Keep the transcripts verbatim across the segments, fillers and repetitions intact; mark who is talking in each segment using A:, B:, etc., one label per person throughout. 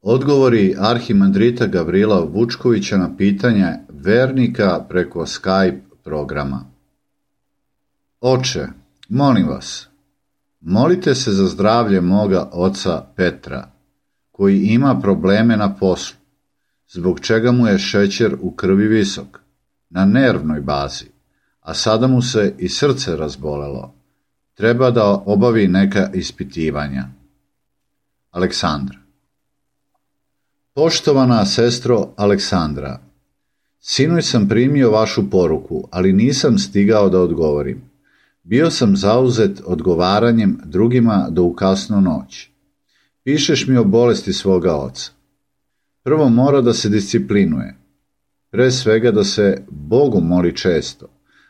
A: Odgovori arhimandrita Gavrila Vučkovića na pitanje vernika preko Skype programa. Oče, molim vas, molite se za zdravlje moga oca Petra, koji ima probleme na poslu, zbog čega mu je šećer u krvi visok, na nervnoj bazi, a sada mu se i srce razbolelo. Treba da obavi neka ispitivanja. Aleksandra. Poštovana sestro Aleksandra, sinoć sam primio vašu poruku, ali nisam stigao da odgovorim. Bio sam zauzet odgovaranjem drugima do u kasnu noć. Pišeš mi o bolesti svoga oca. Prvo mora da se disciplinuje, pre svega da se Bogu moli često,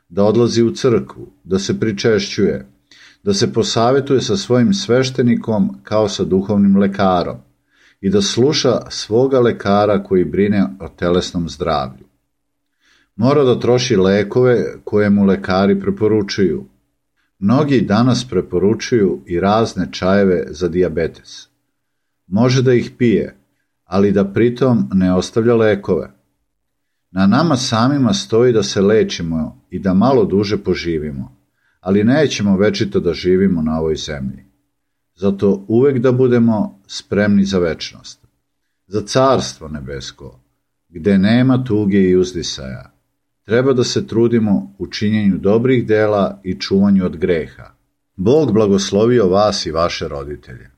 A: da odlazi u crkvu, da se pričešćuje, da se posavetuje sa svojim sveštenikom kao sa duhovnim lekarom i da sluša svoga lekara koji brine o telesnom zdravlju. Mora da troši lekove koje mu lekari preporučuju. Mnogi danas preporučuju i razne čajeve za dijabetes. Može da ih pije, ali da pritom ne ostavlja lekove. Na nama samima stoji da se lečimo i da malo duže poživimo, ali nećemo večito da živimo na ovoj zemlji. Zato uvek da budemo spremni za večnost, za carstvo nebesko, gde nema tuge i uzdisaja. Treba da se trudimo u činjenju dobrih dela i čuvanju od greha. Bog blagoslovio vas i vaše roditelje.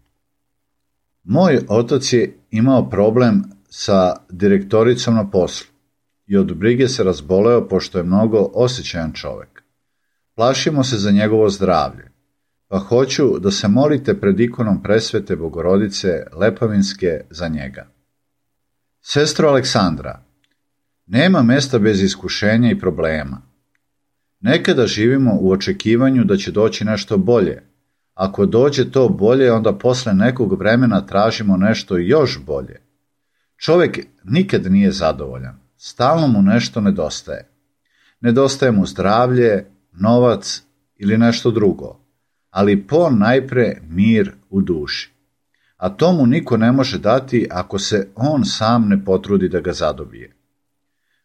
A: Moj otac je imao problem sa direktoricom na poslu i od brige se razboleo pošto je mnogo osjećajan čovek. Plašimo se za njegovo zdravlje, pa hoću da se molite pred ikonom Presvete Bogorodice Lepavinske za njega. Sestro Aleksandra, nema mesta bez iskušenja i problema. Nekada živimo u očekivanju da će doći nešto bolje. Ako dođe to bolje, onda posle nekog vremena tražimo nešto još bolje. Čovek nikad nije zadovoljan, stalno mu nešto nedostaje. Nedostaje mu zdravlje, novac ili nešto drugo, ali po najpre mir u duši. A to mu niko ne može dati ako se on sam ne potrudi da ga zadobije.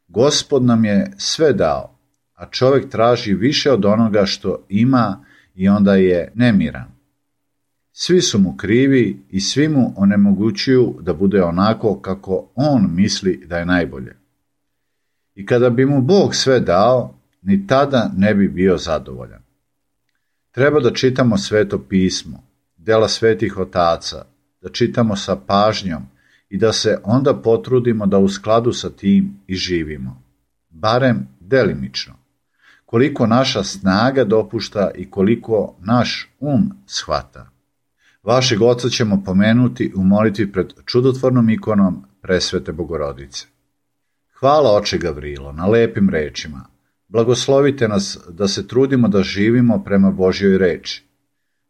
A: Gospod nam je sve dao, a čovek traži više od onoga što ima i onda je nemiran. Svi su mu krivi i svi mu onemogućuju da bude onako kako on misli da je najbolje. I kada bi mu Bog sve dao, ni tada ne bi bio zadovoljan. Treba da čitamo Sveto pismo, dela svetih otaca, da čitamo sa pažnjom i da se onda potrudimo da u skladu sa tim i živimo, barem delimično, koliko naša snaga dopušta i koliko naš um shvata. Vašeg oca ćemo pomenuti u molitvi pred čudotvornom ikonom Presvete Bogorodice. Hvala oče Gavrilo na lepim rečima. Blagoslovite nas da se trudimo da živimo prema Božjoj reči.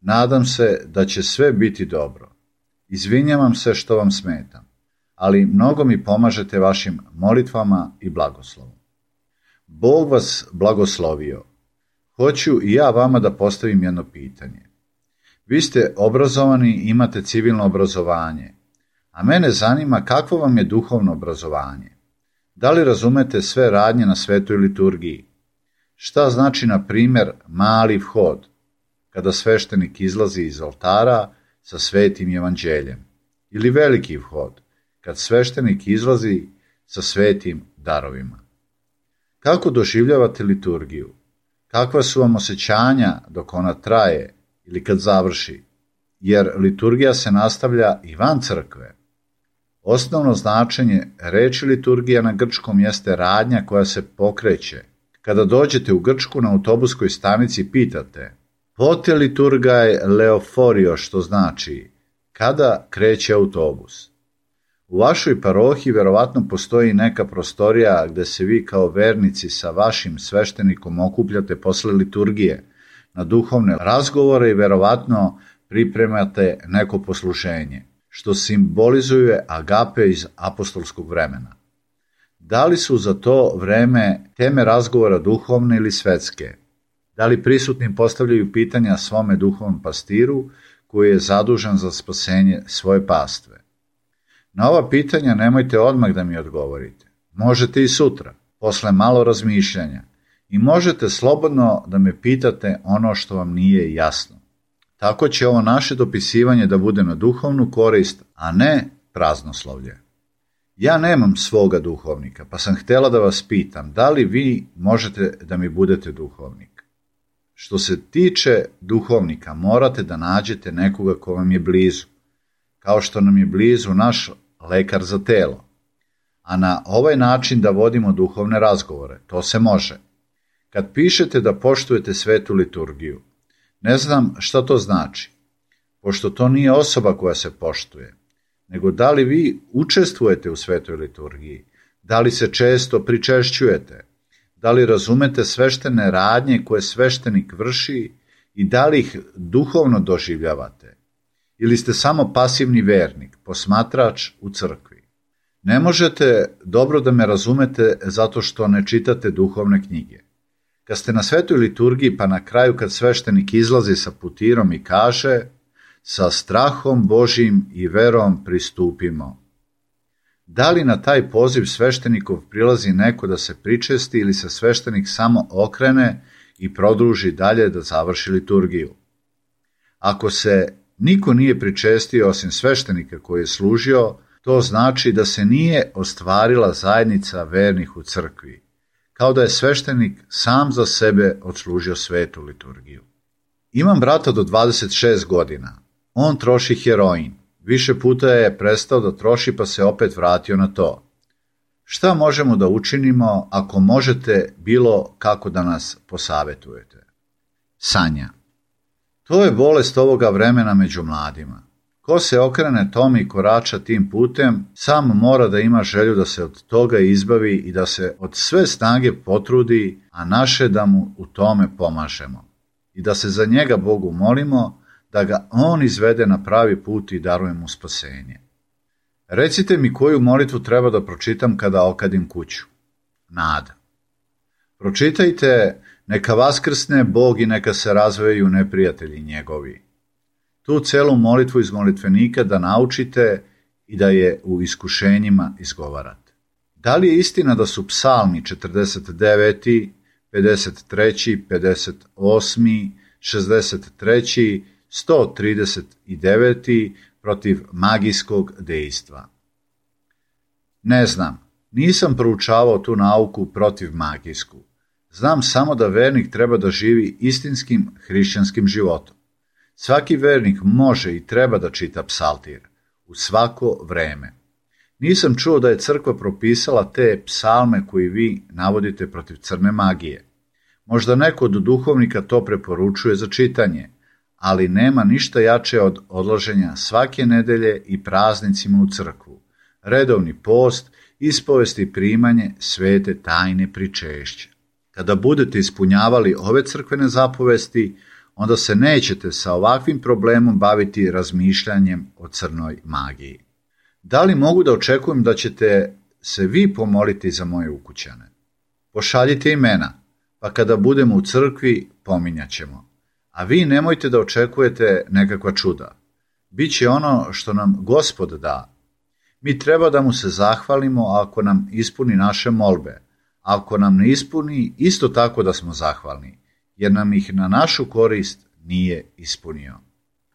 A: Nadam se da će sve biti dobro. Izvinjavam se što vam smetam, ali mnogo mi pomažete vašim molitvama i blagoslovom. Bog vas blagoslovio. Hoću i ja vama da postavim jedno pitanje. Vi ste obrazovani i imate civilno obrazovanje, a mene zanima kakvo vam je duhovno obrazovanje. Da li razumete sve radnje na svetoj liturgiji? Šta znači, na primjer, mali vhod, kada sveštenik izlazi iz oltara sa svetim evanđeljem, ili veliki vhod, kad sveštenik izlazi sa svetim darovima? Kako doživljavate liturgiju? Kakva su vam osjećanja dok ona traje ili kad završi? Jer liturgija se nastavlja i van crkve. Osnovno značenje reči liturgija na grčkom jeste radnja koja se pokreće. Kada dođete u Grčku na autobuskoj stanici pitate pote liturgaj leoforio, što znači kada kreće autobus. U vašoj parohiji verovatno postoji neka prostorija gde se vi kao vernici sa vašim sveštenikom okupljate posle liturgije na duhovne razgovore i verovatno pripremate neko posluženje, što simbolizuje agape iz apostolskog vremena. Da li su za to vreme teme razgovora duhovne ili svetske? Da li prisutni postavljaju pitanja svome duhovnom pastiru koji je zadužen za spasenje svoje pastve? Na ova pitanja nemojte odmah da mi odgovorite. Možete i sutra, posle malo razmišljanja, i možete slobodno da me pitate ono što vam nije jasno. Tako će ovo naše dopisivanje da bude na duhovnu korist, a ne praznoslovlje. Ja nemam svoga duhovnika, pa sam htjela da vas pitam da li vi možete da mi budete duhovnik. Što se tiče duhovnika, morate da nađete nekoga ko vam je blizu, kao što nam je blizu naš lekar za telo. A na ovaj način da vodimo duhovne razgovore, to se može. Kad pišete da poštujete svetu liturgiju, ne znam šta to znači, pošto to nije osoba koja se poštuje, nego da li vi učestvujete u svetoj liturgiji, da li se često pričešćujete, da li razumete sveštene radnje koje sveštenik vrši i da li ih duhovno doživljavate, ili ste samo pasivni vernik, posmatrač u crkvi. Ne možete dobro da me razumete zato što ne čitate duhovne knjige. Kad ste na svetoj liturgiji, pa na kraju kad sveštenik izlazi sa putirom i kaže: sa strahom Božjim i verom pristupimo. Da li na taj poziv sveštenikov prilazi neko da se pričesti ili se sveštenik samo okrene i produži dalje da završi liturgiju? Ako se niko nije pričestio osim sveštenika koji je služio, to znači da se nije ostvarila zajednica vernih u crkvi, kao da je sveštenik sam za sebe odslužio svetu liturgiju. Imam brata do dvadeset šest godina. On troši heroin. Više puta je prestao da troši pa se opet vratio na to. Šta možemo da učinimo ako možete bilo kako da nas posavetujete? Sanja. To je bolest ovoga vremena među mladima. Ko se okrene tome i korača tim putem, sam mora da ima želju da se od toga izbavi i da se od sve snage potrudi, a naše da mu u tome pomažemo. I da se za njega Bogu molimo, da ga on izvede na pravi put i daruje mu spasenje. Recite mi koju molitvu treba da pročitam kada okadim kuću. Nada. Pročitajte: neka vaskrsne Bog i neka se razveju neprijatelji njegovi. Tu celu molitvu iz molitvenika da naučite i da je u iskušenjima izgovarate. Da li je istina da su psalmi četrdeset deveti, pedeset treći, pedeset osmi, šezdeset treći, sto trideset deveti protiv magijskog dejstva? Ne znam, nisam proučavao tu nauku protiv magijsku. Znam samo da vernik treba da živi istinskim hrišćanskim životom. Svaki vernik može i treba da čita psaltir u svako vreme. Nisam čuo da je crkva propisala te psalme koji vi navodite protiv crne magije. Možda neko od duhovnika to preporučuje za čitanje, ali nema ništa jače od odlaženja svake nedelje i praznicima u crkvu, redovni post, ispovest i primanje svete tajne pričešća. Kada budete ispunjavali ove crkvene zapovesti, onda se nećete sa ovakvim problemom baviti razmišljanjem o crnoj magiji. Da li mogu da očekujem da ćete se vi pomoliti za moje ukućane? Pošaljite imena, pa kada budemo u crkvi pominjat ćemo. A vi nemojte da očekujete nekakva čuda. Biće ono što nam Gospod da. Mi treba da mu se zahvalimo ako nam ispuni naše molbe. Ako nam ne ispuni, isto tako da smo zahvalni, jer nam ih na našu korist nije ispunio.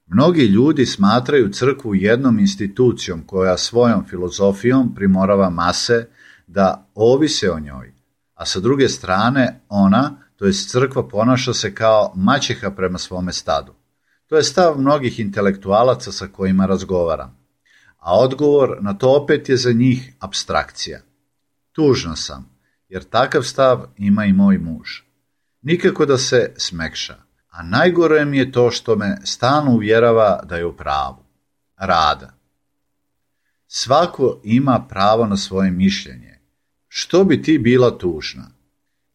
A: Mnogi ljudi smatraju crkvu jednom institucijom koja svojom filozofijom primorava mase da ovise o njoj, a sa druge strane ona, to jest crkva, ponaša se kao maćeha prema svome stadu. To je stav mnogih intelektualaca sa kojima razgovaram, a odgovor na to opet je za njih apstrakcija. Tužna sam, jer takav stav ima i moj muž. Nikako da se smekša, a najgore mi je to što me stalno uvjerava da je u pravu. Rada. Svako ima pravo na svoje mišljenje. Što bi ti bila tužna?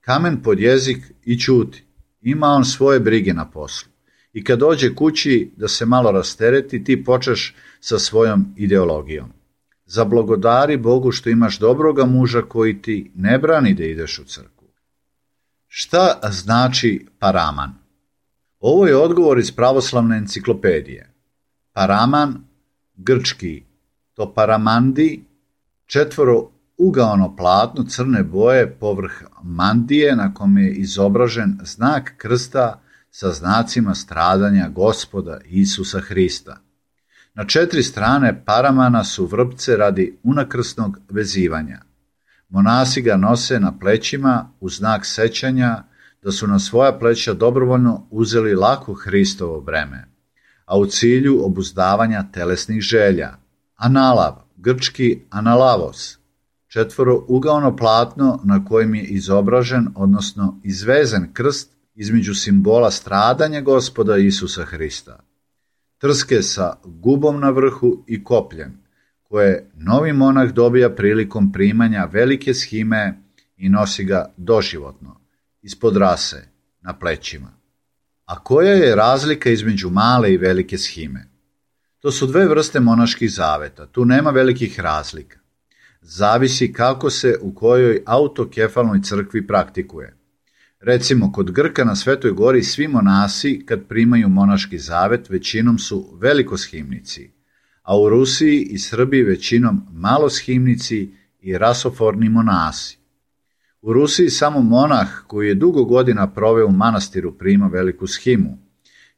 A: Kamen pod jezik i ćuti. Ima on svoje brige na poslu. I kad dođe kući da se malo rastereti, ti počeš sa svojom ideologijom. Zablagodari Bogu što imaš dobroga muža koji ti ne brani da ideš u crkvu. Šta znači paraman? Ovo je odgovor iz pravoslavne enciklopedije. Paraman, grčki To paramandi, četvoro ugaono platno crne boje povrh mandije na kome je izobražen znak krsta sa znacima stradanja Gospoda Isusa Hrista. Na četiri strane paramana su vrpce radi unakrsnog vezivanja. Monasi ga nose na plećima u znak sećanja da su na svoja pleća dobrovoljno uzeli lako Hristovo breme, a u cilju obuzdavanja telesnih želja. Analav, grčki analavos, četvoro ugaono platno na kojem je izobražen, odnosno izvezen krst između simbola stradanja Gospoda Isusa Hrista. Trske sa gubom na vrhu i kopljem, koje novi monah dobija prilikom primanja velike shime i nosi ga doživotno, ispod rase, na plećima. A koja je razlika između male i velike shime? To su dve vrste monaških zaveta, tu nema velikih razlika. Zavisi kako se u kojoj autokefalnoj crkvi praktikuje. Recimo, kod Grka na Svetoj gori svi monasi kad primaju monaški zavet većinom su velikoshimnici, a u Rusiji i Srbiji većinom maloshimnici i rasoforni monasi. U Rusiji samo monah koji je dugo godina proveo u manastiru prima veliku shimu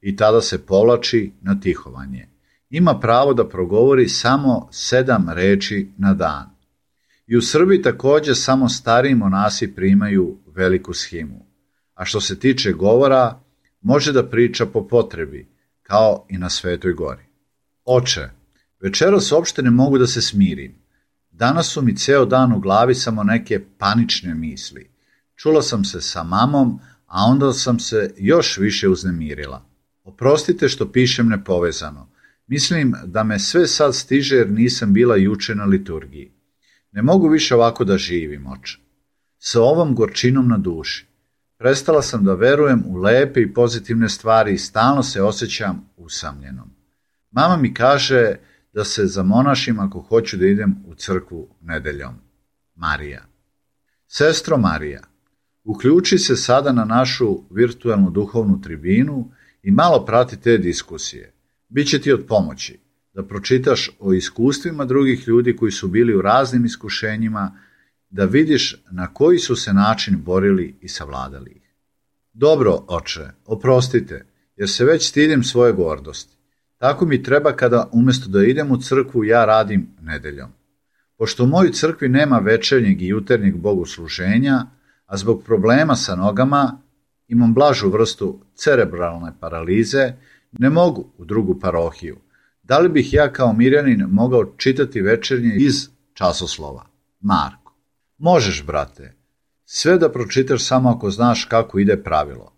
A: i tada se povlači na tihovanje. Ima pravo da progovori samo sedam reči na dan. I u Srbiji također samo stariji monasi primaju veliku shimu. A što se tiče govora, može da priča po potrebi, kao i na Svetoj gori. Oče, večeras uopšte ne mogu da se smirim. Danas su mi ceo dan u glavi samo neke panične misli. Čula sam se sa mamom, a onda sam se još više uznemirila. Oprostite što pišem nepovezano. Mislim da me sve sad stiže jer nisam bila juče na liturgiji. Ne mogu više ovako da živim, oče. Sa ovom gorčinom na duši. Prestala sam da verujem u lepe i pozitivne stvari i stalno se osjećam usamljenom. Mama mi kaže da se zamonašim ako hoću da idem u crkvu nedeljom. Marija. Sestro Marija, uključi se sada na našu virtualnu duhovnu tribinu i malo prati te diskusije. Biće ti od pomoći da pročitaš o iskustvima drugih ljudi koji su bili u raznim iskušenjima, da vidiš na koji su se način borili i savladali ih. Dobro, oče, oprostite, jer se već stidim svoje gordosti. Tako mi treba kada umjesto da idem u crkvu ja radim nedeljom. Pošto u mojoj crkvi nema večernjeg i jutarnjeg bogosluženja, a zbog problema sa nogama imam blažu vrstu cerebralne paralize, ne mogu u drugu parohiju. Da li bih ja kao mirjanin mogao čitati večernje iz časoslova? Marko. Možeš, brate. Sve da pročitaš samo ako znaš kako ide pravilo.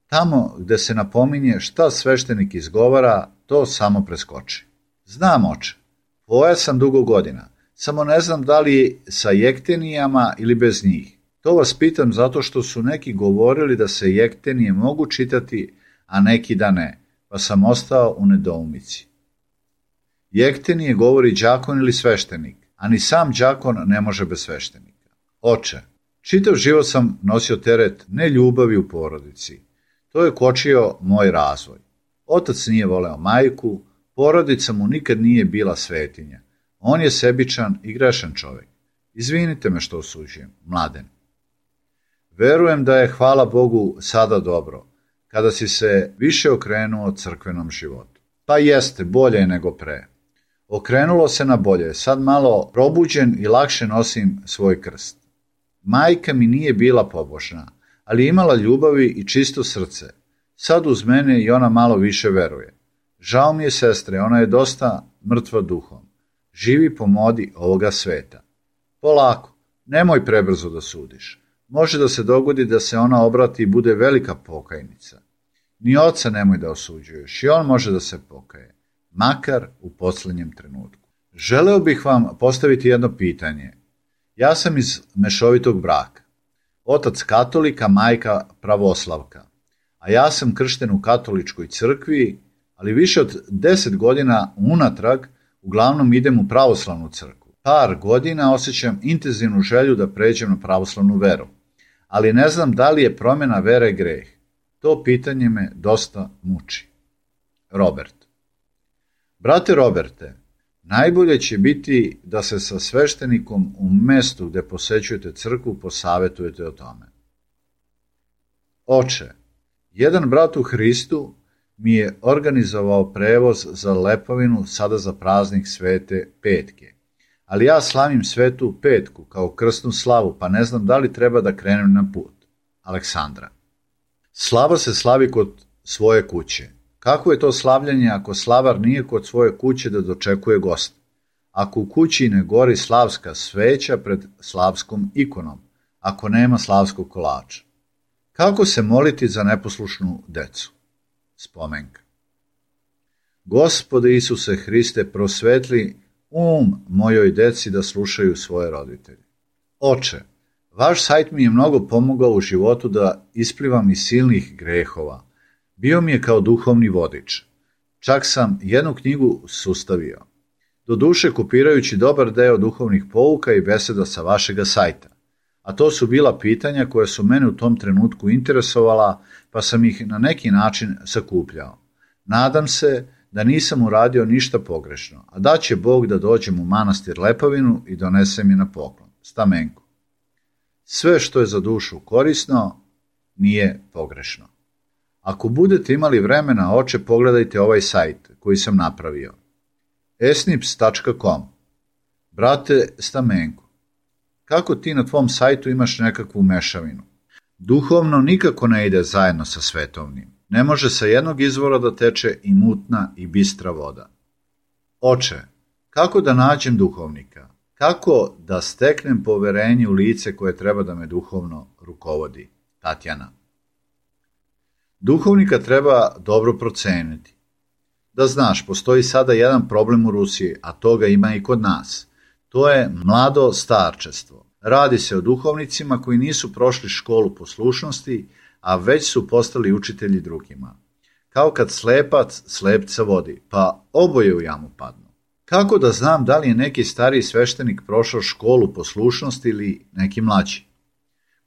A: Tamo gde se napominje šta sveštenik izgovara, to samo preskoči. Znam, oče. Poja sam dugo godina. Samo ne znam da li je sa jektenijama ili bez njih. To vas pitam zato što su neki govorili da se jektenije mogu čitati, a neki da ne, pa sam ostao u nedoumici. Jektenije govori đakon ili sveštenik, a ni sam đakon ne može bez sveštenika. Oče, čitav život sam nosio teret neljubavi u porodici. To je kočio moj razvoj. Otac nije voleo majku, porodica mu nikad nije bila svetinja. On je sebičan i grešan čovjek. Izvinite me što osuđujem, Mladen. Verujem da je, hvala Bogu, sada dobro, kada si se više okrenuo crkvenom životu. Pa jeste, bolje je nego pre. Okrenulo se na bolje, sad malo probuđen i lakše nosim svoj krst. Majka mi nije bila pobožna, ali imala ljubavi i čisto srce. Sad uz mene i ona malo više veruje. Žao mi je, sestre, ona je dosta mrtva duhom. Živi po modi ovoga sveta. Polako, nemoj prebrzo da sudiš. Može da se dogodi da se ona obrati i bude velika pokajnica. Ni oca nemoj da osuđuješ, i on može da se pokaje, makar u posljednjem trenutku. Želeo bih vam postaviti jedno pitanje. Ja sam iz mešovitog braka. Otac katolika, majka pravoslavka. A ja sam kršten u katoličkoj crkvi, ali više od deset godina unatrag uglavnom idem u pravoslavnu crkvu. Par godina osjećam intenzivnu želju da pređem na pravoslavnu veru, ali ne znam da li je promjena vere greh. To pitanje me dosta muči. Robert. Brate Roberte, Najbolje će biti da se sa sveštenikom u mestu gde posećujete crkvu posavetujete o tome. Oče, jedan brat u Hristu mi je organizovao prevoz za Lepovinu sada za praznik Svete Petke, ali ja slavim Svetu Petku kao krsnu slavu, pa ne znam da li treba da krenem na put. Aleksandra. Slava se slavi kod svoje kuće. Kako je to slavljanje ako slavar nije kod svoje kuće da dočekuje gosta? Ako u kući ne gori slavska sveća pred slavskom ikonom, ako nema slavskog kolača? Kako se moliti za neposlušnu decu? Spomenka. Gospode Isuse Hriste, prosvetli um mojoj deci da slušaju svoje roditelje. Oče, vaš sajt mi je mnogo pomogao u životu da isplivam iz silnih grehova. Bio mi je kao duhovni vodič. Čak sam jednu knjigu sustavio. Doduše kopirajući dobar deo duhovnih pouka i beseda sa vašega sajta. A to su bila pitanja koja su mene u tom trenutku interesovala, pa sam ih na neki način sakupljao. Nadam se da nisam uradio ništa pogrešno, a da će Bog da dođem u manastir Lepovinu i donese mi na poklon. Stamenko. Sve što je za dušu korisno, nije pogrešno. Ako budete imali vremena, oče, pogledajte ovaj sajt koji sam napravio. esnips tačka com. Brate Stamenko, kako ti na tvom sajtu imaš nekakvu mešavinu? Duhovno nikako ne ide zajedno sa svetovnim. Ne može sa jednog izvora da teče i mutna i bistra voda. Oče, kako da nađem duhovnika? Kako da steknem poverenje u lice koje treba da me duhovno rukovodi? Tatjana. Duhovnika treba dobro proceniti. Da znaš, postoji sada jedan problem u Rusiji, a toga ima i kod nas. To je mlado starčestvo. Radi se o duhovnicima koji nisu prošli školu poslušnosti, a već su postali učitelji drugima. Kao kad slepac slepca vodi, pa oboje u jamu padnu. Kako da znam da li je neki stariji sveštenik prošao školu poslušnosti ili neki mlađi?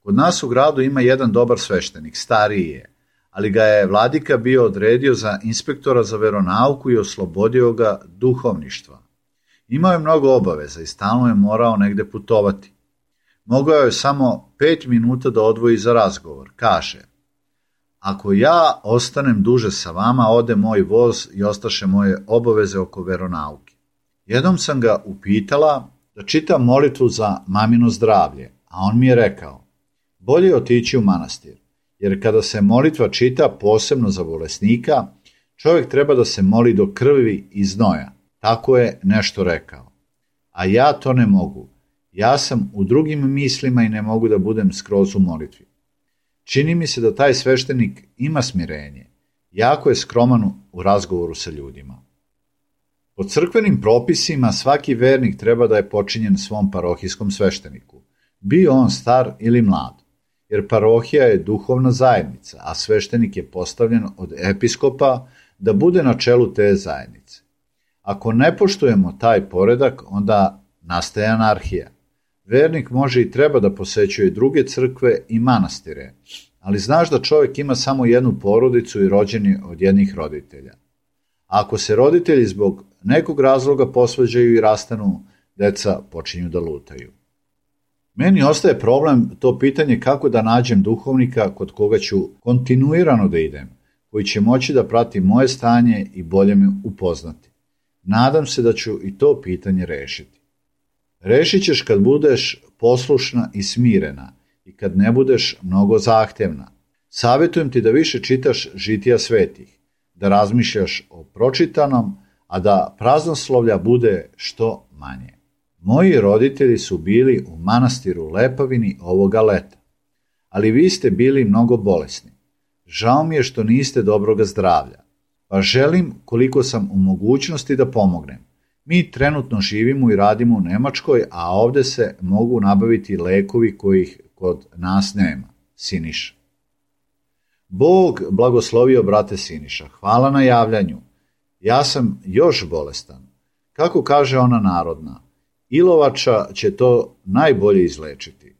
A: Kod nas u gradu ima jedan dobar sveštenik, stariji je, ali ga je vladika bio odredio za inspektora za veronauku i oslobodio ga duhovništva. Imao je mnogo obaveza i stalno je morao negde putovati. Mogao je samo pet minuta da odvoji za razgovor. Kaže, ako ja ostanem duže sa vama, ode moj voz i ostaše moje obaveze oko veronauke. Jednom sam ga upitala da čitam molitvu za mamino zdravlje, a on mi je rekao, bolje je otići u manastir, jer kada se molitva čita posebno za bolesnika, čovjek treba da se moli do krvi i znoja. Tako je nešto rekao. A ja to ne mogu. Ja sam u drugim mislima i ne mogu da budem skroz u molitvi. Čini mi se da taj sveštenik ima smirenje. Jako je skroman u razgovoru sa ljudima. Po crkvenim propisima svaki vernik treba da je počinjen svom parohijskom svešteniku, bio on star ili mlad, jer parohija je duhovna zajednica, a sveštenik je postavljen od episkopa da bude na čelu te zajednice. Ako ne poštujemo taj poredak, onda nastaje anarhija. Vernik može i treba da posećuje druge crkve i manastire, ali znaš da čovjek ima samo jednu porodicu i rođen je od jednih roditelja. A ako se roditelji zbog nekog razloga posvađaju i rastanu, deca počinju da lutaju. Meni ostaje problem to pitanje kako da nađem duhovnika kod koga ću kontinuirano da idem, koji će moći da prati moje stanje i bolje me upoznati. Nadam se da ću i to pitanje rešiti. Rešit ćeš kad budeš poslušna i smirena i kad ne budeš mnogo zahtevna. Savjetujem ti da više čitaš žitija svetih, da razmišljaš o pročitanom, a da praznoslovlja bude što manje. Moji roditelji su bili u manastiru Lepovini ovoga leta, ali vi ste bili mnogo bolesni. Žao mi je što niste dobroga zdravlja, pa želim koliko sam u mogućnosti da pomognem. Mi trenutno živimo i radimo u Nemačkoj, a ovde se mogu nabaviti lekovi kojih kod nas nema. Siniša. Bog blagoslovio brate Siniša. Hvala na javljanju. Ja sam još bolestan. Kako kaže ona narodna, ilovača će to najbolje izlečiti.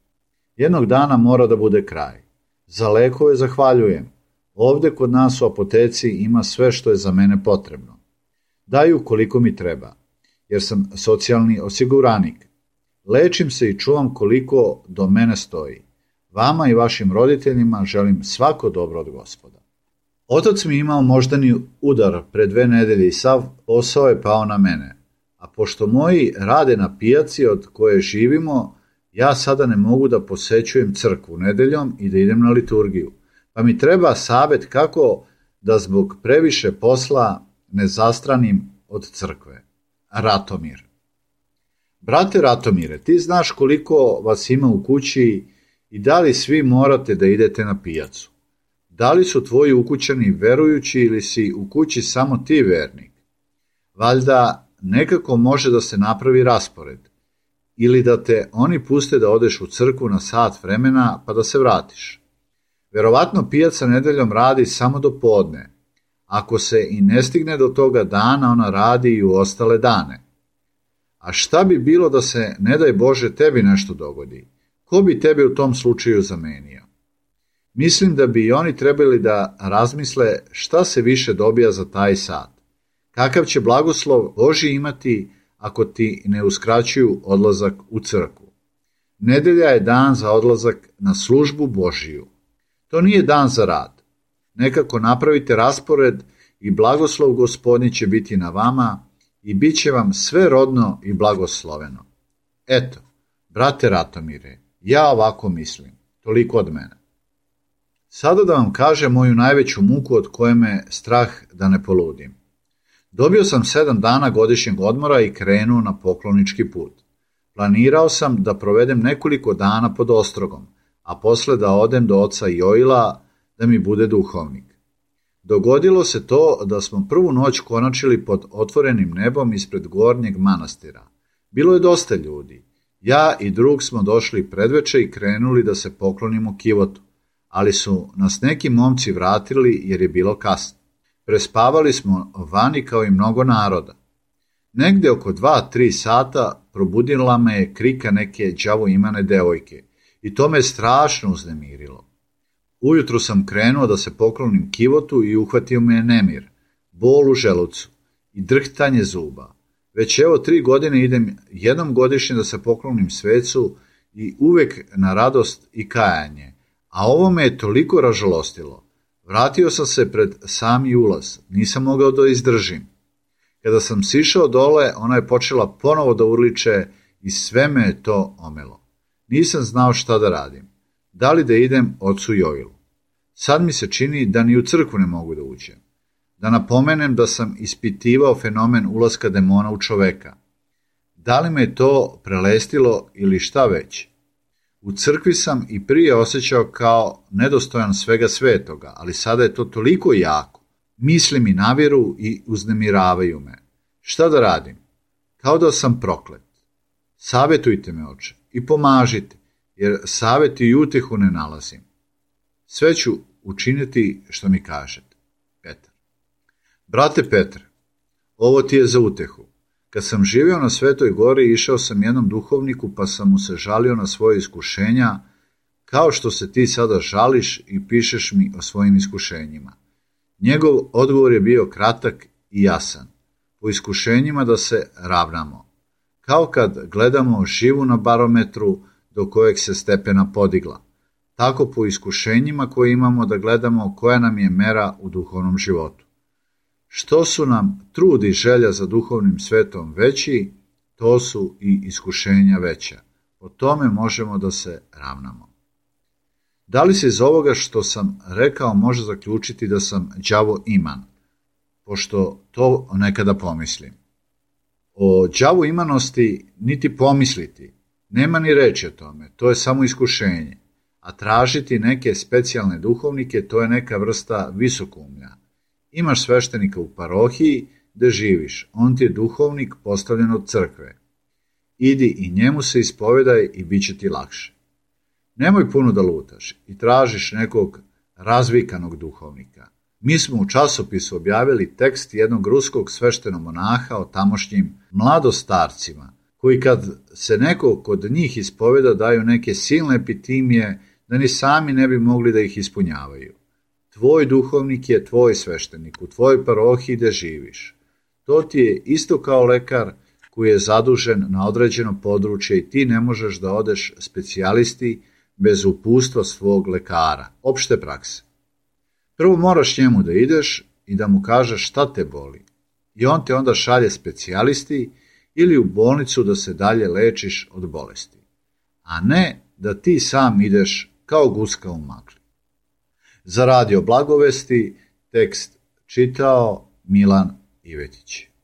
A: Jednog dana mora da bude kraj. Za lekove zahvaljujem. Ovde kod nas u apoteci ima sve što je za mene potrebno. Daju koliko mi treba. jer sam socijalni osiguranik. Lečim se i čuvam koliko do mene stoji. Vama i vašim roditeljima želim svako dobro od Gospoda. Otac mi imao moždani udar pre dve nedelje i sav posao je pao na mene. A pošto moji rade na pijaci od koje živimo, ja sada ne mogu da posećujem crkvu nedeljom i da idem na liturgiju. Pa mi treba savjet kako da zbog previše posla ne zastranim od crkve. Ratomir. Brate Ratomire, ti znaš koliko vas ima u kući i da li svi morate da idete na pijacu? Da li su tvoji ukućani verujući ili si u kući samo ti vernik? Valjda nekako može da se napravi raspored. Ili da te oni puste da odeš u crkvu na sat vremena pa da se vratiš. Verovatno pijaca nedeljom radi samo do podne. Ako se i ne stigne do toga dana, ona radi i u ostale dane. A šta bi bilo da se, ne daj Bože, tebi nešto dogodi? Ko bi tebe u tom slučaju zamenio? Mislim da bi i oni trebali da razmisle šta se više dobija za taj sat. Kakav će blagoslov Božji imati ako ti ne uskraćuju odlazak u crkvu. Nedelja je dan za odlazak na službu Božiju. To nije dan za rad. Nekako napravite raspored i blagoslov Gospodnji će biti na vama i bit će vam sve rodno i blagosloveno. Eto, brate Ratomire, ja ovako mislim. Toliko od mene. Sada da vam kažem moju najveću muku od koje me strah da ne poludim. Dobio sam sedam dana godišnjeg odmora i krenuo na poklonički put. Planirao sam da provedem nekoliko dana pod ostrogom, a posle da odem do oca Joila da mi bude duhovnik. Dogodilo se to da smo prvu noć konačili pod otvorenim nebom ispred gornjeg manastira. Bilo je dosta ljudi. Ja i drug smo došli predveče i krenuli da se poklonimo kivotu, ali su nas neki momci vratili jer je bilo kasno. Prespavali smo vani kao i mnogo naroda. Negde oko dva, tri sata probudila me je krika neke đavo imane devojke i to me strašno uznemirilo. Ujutru sam krenuo da se poklonim kivotu i uhvatio me je nemir, bol u želucu i drhtanje zuba. Već evo tri godine idem jednom godišnje da se poklonim svecu i uvek na radost i kajanje, a ovo me je toliko ražalostilo. Vratio sam se pred sami ulaz, nisam mogao da izdržim. Kada sam sišao dole, ona je počela ponovo da urliče i sve me je to omelo. Nisam znao šta da radim. Da li da idem ocu Joilu? Sad mi se čini da ni u crkvu ne mogu da uđem. Da napomenem da sam ispitivao fenomen ulaska demona u čoveka. Da li me to prelestilo ili šta već? U crkvi sam i prije osjećao kao nedostojan svega svetoga, ali sada je to toliko jako. Misli mi naviru i uznemiravaju me. Šta da radim? Kao da sam proklet. Savjetujte me, oče, i pomažite, jer savjet i utehu ne nalazim. Sve ću učiniti što mi kažete. Petar. Brate Petre, ovo ti je za utehu. Kad sam živio na Svetoj gori, išao sam jednom duhovniku pa sam mu se žalio na svoje iskušenja, kao što se ti sada žališ i pišeš mi o svojim iskušenjima. Njegov odgovor je bio kratak i jasan. Po iskušenjima da se ravnamo. Kao kad gledamo živu na barometru do kojeg se stepena podigla. Tako po iskušenjima koje imamo da gledamo koja nam je mera u duhovnom životu. Što su nam trud i želja za duhovnim svetom veći, to su i iskušenja veća. Po tome možemo da se ravnamo. Da li se iz ovoga što sam rekao može zaključiti da sam đavo iman, pošto to nekada pomislim? O đavu imanosti niti pomisliti, nema ni reći o tome, to je samo iskušenje, a tražiti neke specijalne duhovnike to je neka vrsta visokoumlja. Imaš sveštenika u parohiji gde živiš, on ti je duhovnik postavljen od crkve. Idi i njemu se ispovedaj i bit će ti lakše. Nemoj puno da lutaš i tražiš nekog razvikanog duhovnika. Mi smo u časopisu objavili tekst jednog ruskog sveštenog monaha o tamošnjim mladostarcima, koji kad se neko kod njih ispoveda daju neke silne epitimije da ni sami ne bi mogli da ih ispunjavaju. Tvoj duhovnik je tvoj sveštenik u tvojoj parohiji gde živiš. To ti je isto kao lekar koji je zadužen na određeno područje i ti ne možeš da odeš specijalisti bez uputstva svog lekara, opšte prakse. Prvo moraš njemu da ideš i da mu kažeš šta te boli. I on te onda šalje specijalisti ili u bolnicu da se dalje lečiš od bolesti. A ne da ti sam ideš kao guska u magli. Za Radio Blagovesti tekst čitao Milan Ivetić.